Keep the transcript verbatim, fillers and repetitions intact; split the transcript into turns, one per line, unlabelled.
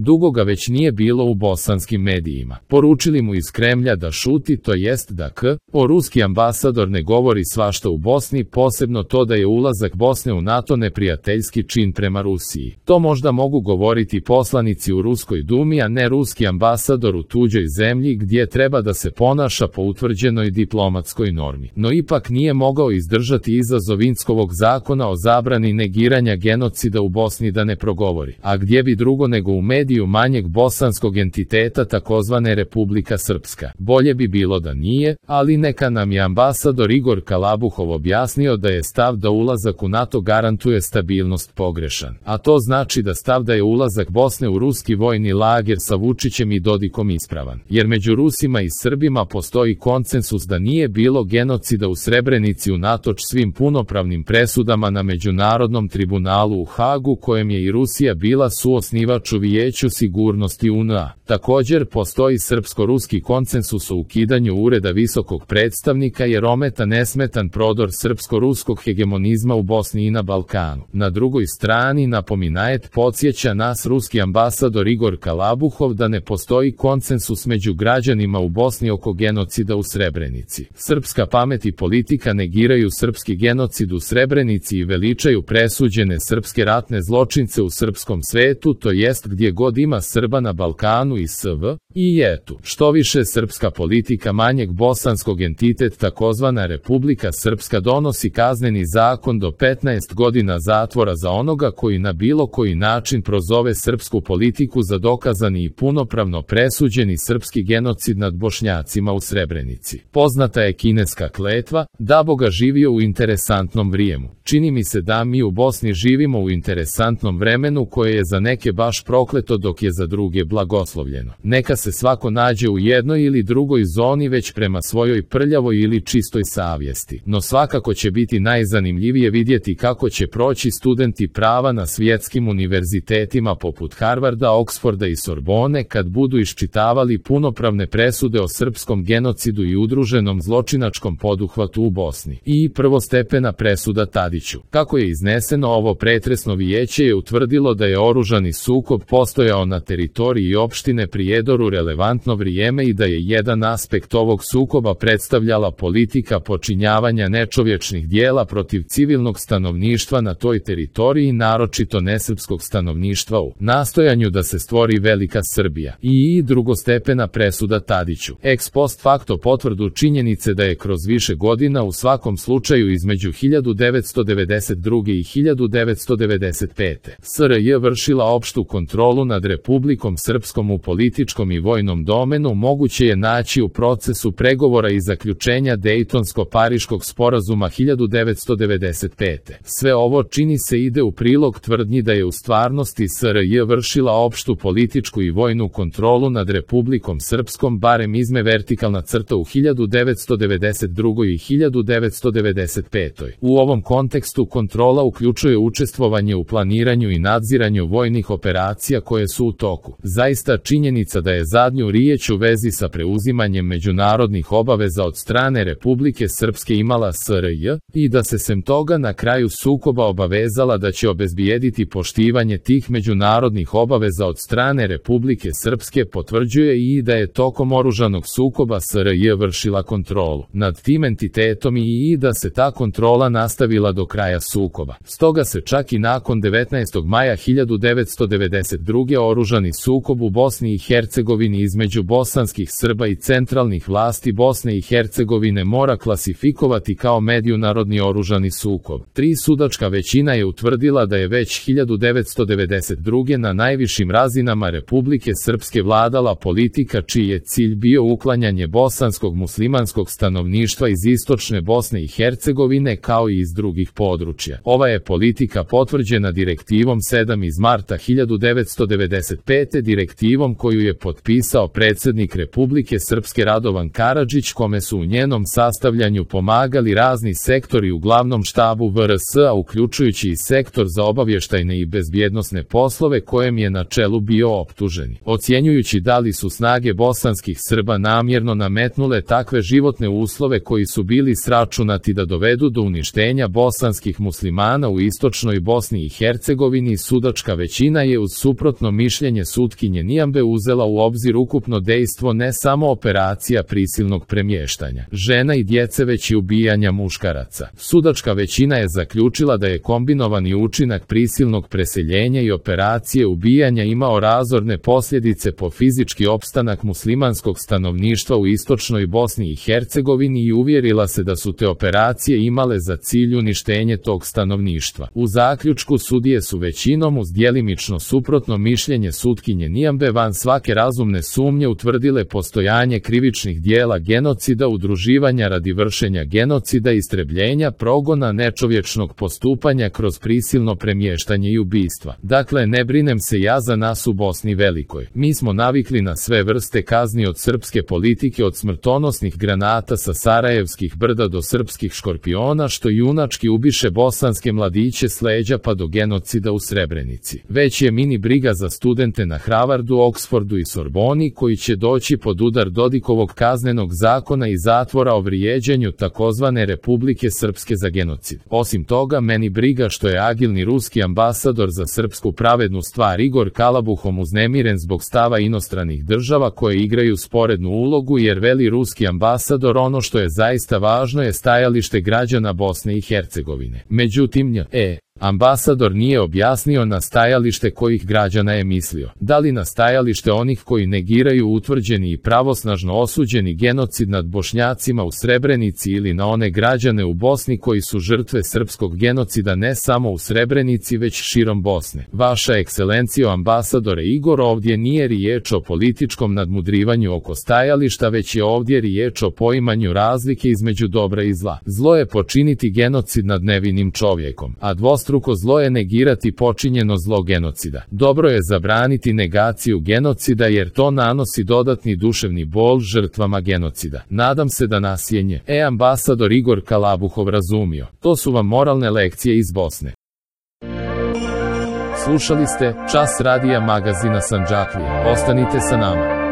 Dugo ga već nije bilo u bosanskim medijima. Poručili mu iz Kremlja da šuti, to jest da k. o ruski ambasador ne govori svašta u Bosni, posebno to da je ulazak Bosne u NATO neprijateljski čin prema Rusiji. To možda mogu govoriti poslanici u Ruskoj dumi, a ne ruski ambasador u tuđoj zemlji gdje treba da se ponaša po utvrđenoj diplomatskoj normi. No ipak nije mogao izdržati izazov Inckovog zakona o zabrani negiranja genocida u Bosni da ne progovori. A gdje bi drugo nego u mediju manjeg bosanskog entiteta takozvane Republika Srpska. Bolje bi bilo da nije, ali neka nam je ambasador Igor Kalabuhov objasnio da je stav da ulazak u NATO garantuje stabilnost pogrešan. A to znači da stav da je ulazak Bosne u ruski vojni lager sa Vučićem i Dodikom ispravan. Jer među Rusima i Srbima postoji konsensus da nije bilo genocida u Srebrenici unatoč svim punopravnim presudama na Međunarodnom tribunalu u Hagu, kojem je i Rusija bila suosnivač u Vijeću sigurnosti U N A. Također postoji srpsko-ruski konsensus o ukidanju ureda visokog predstavnika jer ometa nesmetan prodor srpsko-ruskog hegemonizma u Bosni i na Balkanu. Na drugoj strani napominajet podsjeća nas ruski ambasador Igor Kalabuhov da ne postoji konsensus među građanima u Bosni oko genocida u Srebrenici. Srpska pamet i politika negiraju srpski genocid u Srebrenici i veličaju presuđene srpske ratne zločince u srpskom svetu, to jest gdje god ima Srba na Balkanu i S V. I etu, što više srpska politika manjeg bosanskog entitet takozvana Republika Srpska donosi kazneni zakon do petnaest godina zatvora za onoga koji na bilo koji način prozove srpsku politiku za dokazani i punopravno presuđeni srpski genocid nad Bošnjacima u Srebrenici. Poznata je kineska kletva, da Boga živio u interesantnom vrijemu. Čini mi se da mi u Bosni živimo u interesantnom vremenu koje je za neke baš prokleto dok je za druge blagoslovljeno. Neka se svako nađe u jednoj ili drugoj zoni već prema svojoj prljavoj ili čistoj savjesti. No svakako će biti najzanimljivije vidjeti kako će proći studenti prava na svjetskim univerzitetima poput Harvarda, Oksforda i Sorbone kad budu iščitavali punopravne presude o srpskom genocidu i udruženom zločinačkom poduhvatu u Bosni. I prvostepena presuda Tadiću. Kako je izneseno, ovo pretresno vijeće je utvrdilo da je oružani sukob postojao na teritoriji opštine Prijedor u relevantno vrijeme i da je jedan aspekt ovog sukoba predstavljala politika počinjavanja nečovječnih dijela protiv civilnog stanovništva na toj teritoriji, naročito nesrpskog stanovništva u nastojanju da se stvori velika Srbija. I drugostepena presuda Tadiću. Ex post facto potvrdu činjenice da je kroz više godina u svakom slučaju između hiljadu devetsto devedeset druge i hiljadu devetsto devedeset pete. S R J vršila opštu kontrolu nad Republikom Srpskom u političkom i vojnom domenu moguće je naći u procesu pregovora i zaključenja Dejtonsko-Pariškog sporazuma hiljadu devetsto devedeset pete. Sve ovo čini se ide u prilog tvrdnji da je u stvarnosti S R J vršila opštu političku i vojnu kontrolu nad Republikom Srpskom, barem izme vertikalna crta u hiljadu devetsto devedeset drugoj i hiljadu devetsto devedeset petoj. U ovom kontekstu kontrola uključuje učestvovanje u planiranju i nadziranju vojnih operacija koje su u toku. Zaista činjenica da je zadnju riječ u vezi sa preuzimanjem međunarodnih obaveza od strane Republike Srpske imala S R J i da se sem toga na kraju sukoba obavezala da će obezbijediti poštivanje tih međunarodnih obaveza od strane Republike Srpske potvrđuje i da je tokom oružanog sukoba S R J vršila kontrolu nad tim entitetom i da se ta kontrola nastavila do kraja sukoba. Stoga se čak i nakon devetnaestog maja hiljadu devetsto devedeset druge oružani sukob u Bosni i Hercegovini između bosanskih Srba i centralnih vlasti Bosne i Hercegovine mora klasifikovati kao međunarodni oružani sukob. Tri sudačka većina je utvrdila da je već hiljadu devetsto devedeset druge na najvišim razinama Republike Srpske vladala politika čiji je cilj bio uklanjanje bosanskog muslimanskog stanovništva iz istočne Bosne i Hercegovine kao i iz drugih područja. Ova je politika potvrđena direktivom sedam iz marta hiljadu devetsto devedeset pete, direktivom koju je potpisao potpisao predsjednik Republike Srpske Radovan Karadžić, kome su u njenom sastavljanju pomagali razni sektori u glavnom štabu V R S-a, uključujući i sektor za obavještajne i bezbjednosne poslove, kojem je na čelu bio optuženi. Ocjenjujući da li su snage bosanskih Srba namjerno nametnule takve životne uslove koji su bili sračunati da dovedu do uništenja bosanskih muslimana u istočnoj Bosni i Hercegovini, sudačka većina je uz suprotno mišljenje sutkinje Nijambe uzela u obzir ukupno dejstvo ne samo operacija prisilnog premještanja žena i djece, već i ubijanja muškaraca. Sudačka većina je zaključila da je kombinovani učinak prisilnog preseljenja i operacije ubijanja imao razorne posljedice po fizički opstanak muslimanskog stanovništva u istočnoj Bosni i Hercegovini i uvjerila se da su te operacije imale za cilj uništenje tog stanovništva. U zaključku sudije su većinom uz djelimično suprotno mišljenje sutkinje Nijambe van svake razumne sumnje utvrdile postojanje krivičnih dijela genocida, udruživanja radi vršenja genocida, istrebljenja, progona, nečovječnog postupanja kroz prisilno premještanje i ubistva. Dakle, ne brinem se ja za nas u Bosni Velikoj. Mi smo navikli na sve vrste kazni od srpske politike, od smrtonosnih granata sa Sarajevskih brda do srpskih škorpiona što junački ubiše bosanske mladiće s leđa pa do genocida u Srebrenici. Već je mini briga za studente na Harvardu, Oksfordu i Sorboni koji će doći pod udar Dodikovog kaznenog zakona i zatvora o vrijeđanju takozvane Republike Srpske za genocid. Osim toga, meni briga što je agilni ruski ambasador za srpsku pravednu stvar Igor Kalabuhom uznemiren zbog stava inostranih država koje igraju sporednu ulogu, jer veli ruski ambasador ono što je zaista važno je stajalište građana Bosne i Hercegovine. Međutim, nj. e. ambasador nije objasnio na stajalište kojih građana je mislio. Da li na stajalište onih koji negiraju utvrđeni i pravosnažno osuđeni genocid nad Bošnjacima u Srebrenici ili na one građane u Bosni koji su žrtve srpskog genocida ne samo u Srebrenici već širom Bosne. Vaša ekscelencijo ambasadore Igor, ovdje nije riječ o političkom nadmudrivanju oko stajališta, već je ovdje riječ o poimanju razlike između dobra i zla. Zlo je počiniti genocid nad nevinim čovjekom, a dvostruko zlo je negirati počinjeno zlo genocida. Dobro je zabraniti negaciju genocida jer to nanosi dodatni duševni bol žrtvama genocida. Nadam se da nas je nj. e. ambasador Igor Kalabuhov razumio. To su vam moralne lekcije iz Bosne. Slušali ste Čas radija magazina Sandžaklija. Ostanite sa nama.